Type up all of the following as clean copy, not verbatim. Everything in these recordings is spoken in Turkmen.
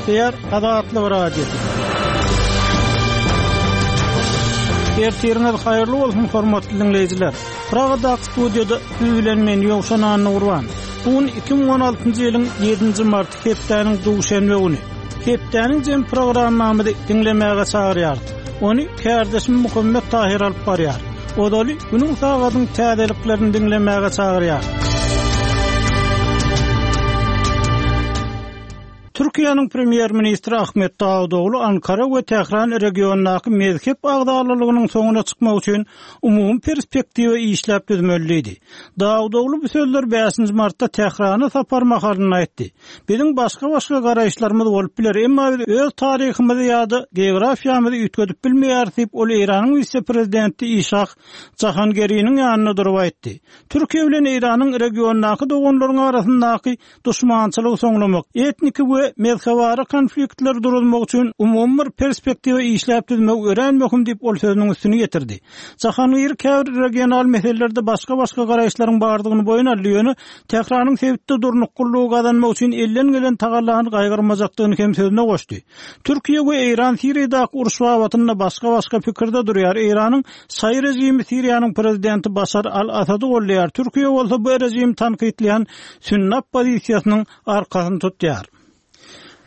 Gepleýär Azatlyk Radiosy. Ertiriňiz haýyrly bolsun, hormatly diňleýjiler! Pragadaky studiýada siz bilen men Ýowşan Annagurban. Bu gün 2016-njy ýylyň ýedinji marty hepdäniň duşenbe güni. Hepdäniň jem programmamyzy diňlemäge çagyrýarys. Ony kärdeşim Muhammet Tahyr alyp barýar. Ozaly günüň sagadyň täzeliklerini diňlemäge çagyrýar. Türkiýäniň premýer-ministri Ahmet Dawutoglu Ankara we Tähran regiondaky mezhep agzalalygynyň soňuna çykmak üçin umumy perspektiwa işläp düzmeli diýdi. Dawutoglu bu sözleri bäşinji martda Tährana sapar mahalynda aýtdy. Biziň başga-başga garaýyşlarymyz bolup biler, emma biz öz taryhymyzy ýa-da geografiýamyzy üýtgedip bilmeýäris diýip, ol Eýranyň wise-prezidenti Işah Jahangeriniň ýanynda durup aýtdy. Türkiýe bilen Eýranyň regiondaky doganlaryň arasyndaky duşmançylygy soňlamak, etniki we mezhebara konfliktleri duruzmak üçin umumy bir perspektiwa işläp düzmek örän möhüm diýip, ol sözüniň üstüni ýetirdi. Jahangiri käbir regional meselelerde başga-başga garaýyşlaryň bardygyny boýun aldy, ýöne Tähranyň sebitde durnuklylygy gazanmak üçin elden gelen tagallany gaýgyrmajakdygyny hem sözüne goşdy. Türkiýe we Eýran Siriýadaky uruş babatynda başga-başga pikirde durýar. Eýranyň şaýy režimi Siriýanyň prezidenti Başar al-Assady goldaýar, Türkiýe bolsa bu režimi tankytlaýan sünni oppozisiýasynyň arkasyny tutýar.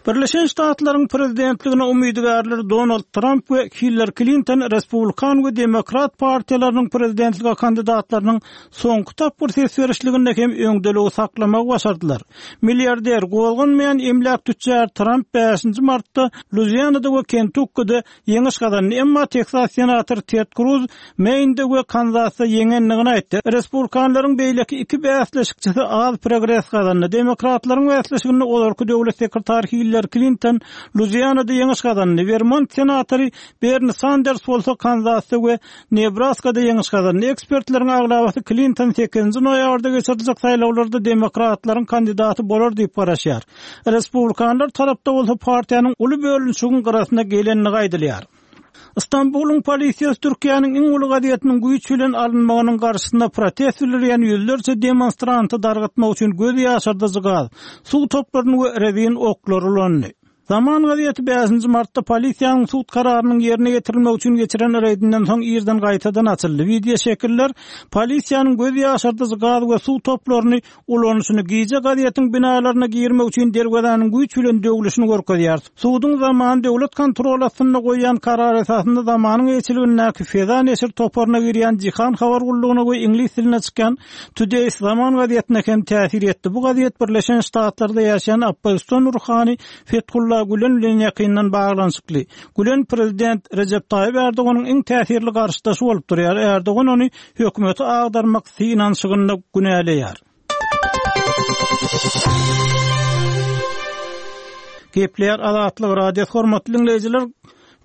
Birleşen Ştatlaryň prezidentligine umydygärler Donald Tramp we Hillari Klinton Respublikan we Demokrat partiýalarynyň prezidentlige kandidatlarynyň soňky tapgyr ses berişliginde hem öňdeligi saklamagy başardylar. Milliarder, gozganmaýan emläk tütjary Tramp bäşinji martda Luizianada we Kentukkide ýeňiş gazandy, emma Teksas senatory Ted Kruz Meýnde we Kanzasda ýeňendigini aýtdy. Respublikanlaryň beýleki iki bäsleşikçisi az progres gazandy. Demokratlaryň bäsleşiginde ozalky döwlet sekretary Hillari Klinton Luizianada ýeňiş gazandy, Wermont senatory Berni Sanders bolsa Kanzasda we Nebraskada ýeňiş gazandy. Ekspertleriň aglabasy Klinton sekizinji noýabrda geçiriljek saýlawlarda demokratlaryň kandidaty bolar diýip garaşýar. Respublikanlar tarapda bolsa partiýanyň uly bölünişigiň gyrasyna gelendigi aýdylýar. Stambulyň polisiýasy Türkiýäniň iň uly gazetiniň güýç bilen alynmagynyň garşysyna protest bildirýän ýüzlerçe demonstranty dargatmak üçin göz ýaşardyjy gaz, suw toplaryny we rezin oklary ulandy. Zaman gazeti bäşinji martda polisiýanyň sud kararynyň ýerine ýetirilmegi üçin geçiren reýdinden soň irden gaýtadan açyldy. Wideoşekiller polisiýanyň göz ýaşardyjy gaz we suw toplaryny ulanyşyny, gije gazetiň binalaryna girmek üçin derwezäniň güýç bilen döwlüşini görkezýär. Suduň Zamany döwlet kontroly astynda goýýan karary esasynda Zamanyň eýeçiligindäki Feza neşir toparyna girýän Jihan habar gullugyna we iňlis dilinde çykýan Today's Zaman gazetine hem täsir etdi. Bu gazet Birleşen Ştatlarda ýaşaýan oppozision ruhany Fethulla Gülen bilen ýakyndan baglanyşykly. Gülen prezident Rejep Taýyp Erdoganyň iň täsirli garşydaşy bolup durýar. Erdogan ony hökümeti agdarmak synanyşygynda günäleýär. Gepleýär Azatlyk Radiosy hormatly diňleýjiler,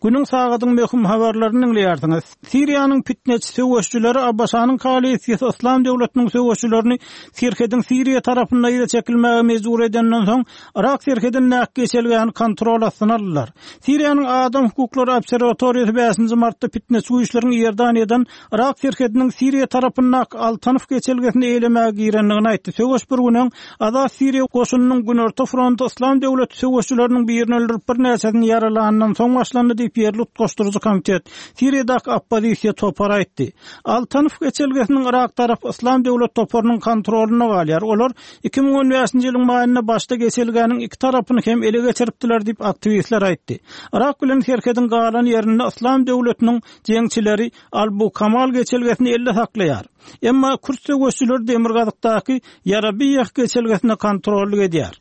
günüň sagadyň möhüm habarlaryny diňleýärsiňiz. Siriýanyň pitneçi söweşijileri ABŞ-nyň koalisiýasy Yslam döwletiniň söweşijilerini serhediň Siriýa tarapynda yza çekilmäge mejbur edenden soň, Yrak serhedindäki geçelgäni kontrol astyna aldylar. Siriýanyň Adam hukuklary obserwatoriýasy bäşinji martda pitneçi güýçleriň Iordaniýadan Yrak serhediniň Siriýa tarapyndaky Al-Tanf geçelgesini eýelemäge girendigini aýtdy. Söweş bir gün öň Azat Siriýa goşunynyň Günorta fronty Yslam döwleti söweşçileriniň birini öldürip, birnäçesini ýaralanyndan soň başlandy diýip, ýerli utgaşdyryjy komitet, Siriýadaky oppozisiýa topary aýtdy. Al-Tanf geçelgesiniň Yrak tarapy Yslam döwlet toparynyň kontrolynda galýar. Olar 2015-nji ýylyň maýynda başda geçelgäniň iki tarapyny hem ele geçiripdiler diýip, aktiwistler aýtdy. Yrak bilen serhediň galan ýerinde Yslam döwletiniň Jeňçileri Al-Bukamal geçelgesini elde saklaýar. Emma kürt söweşçileri demirgazykdaky Ýarabiýeh geçelgesine kontrollyk edýär.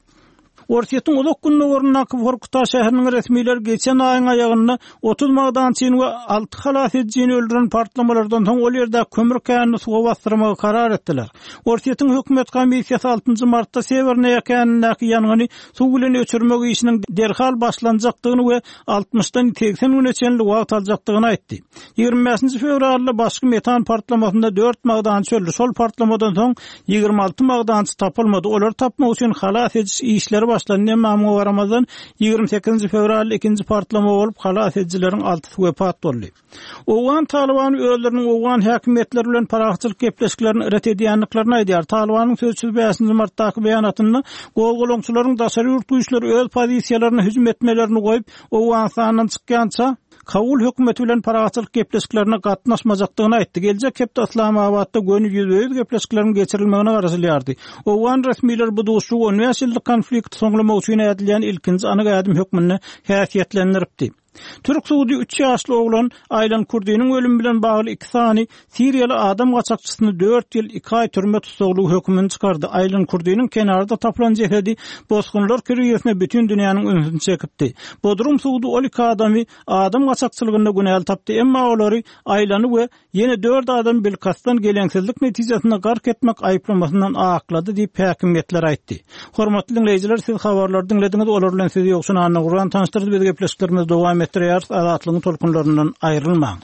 Orsýetiň uzak gündogaryndaky Workuta şäheriniň resmileri geçen aýyň aýagynda 30 magdançyny we alty halas edijini öldüren partlamalardan soň ol ýerdäki kömür känini suwa basdyrmagy karar etdiler. Orsýetiň hökümet komissiýasy altynjy martda Sewernaýa känindäki ýangyny suw bilen öçürmek işiniň derhal başlanjakdygyny we altmyşdan 80 güne çenli wagt aljakdygyny aýtdy. 25-nji fewralda başky metan partlamasynda dört magdançy öldi. Şol partlamadan soň 26 magdançy tapylmady. Olary tapmak üçin halas ediş işleri başlandy. başlandy, emma muňa garamazdan, 28-nji fewralda ikinji partlama bolup, halas edijileriň altysy wepat boldy. Owgan Talybany özleriniň owgan häkimiýetleri bilen parahatçylyk gepleşiklerini ret edýändiklerini aýdýar. Talybanyň sözçüsi bäşinji martdaky beýanatynda gozgalaňçylaryň daşary ýurt güýçleri öz pozisiýalaryna hüjüm etmelerini goýup, Owganystandan çykýança, Kabul hökümeti bilen parahatçylyk gepleşiklerine gatnaşmajakdygyny aýtdy. Geljek hepde Yslamabatda göni ýüzbe-ýüz gepleşikleriň geçirilmegine garaşylýardy. Owgan resmileri bu duşuşygy on bäş ýyllyk konflikti soňlamak üçin ädilýän ilkinji anyk ädim hökmünde häsiýetlendiripdi. Türk sudy üç ýaşly oglan Aýlan Kurdiniň ölümi bilen bagly iki sany siriýaly adam gaçakçysyny dört ýyl iki aý türme tussaglygy hökümini çykardy. Aýlan Kurdiniň kenarda tapylan jesedi bosgunlar krizisine bütin dünýäniň ünsüni çekipdi. Bodrum sudy ol iki adamy adam gaçakçylygynda günäli tapdy, emma olary Aýlany we Ýene dört adam bilkastdan geleňsizlik netijesinde gark etmek aýyplamasyndan aklady diýip, häkimiýetler aýtdy. Hormatly diňleýjiler, siz habarlary diňlediňiz, olar bilen sizi Ýowşan Annagurban tanyşdyrdy. Biz gepleşiklerimizi dowam etdirýäris, Azatlygyň tolkunlaryndan aýrylmaň.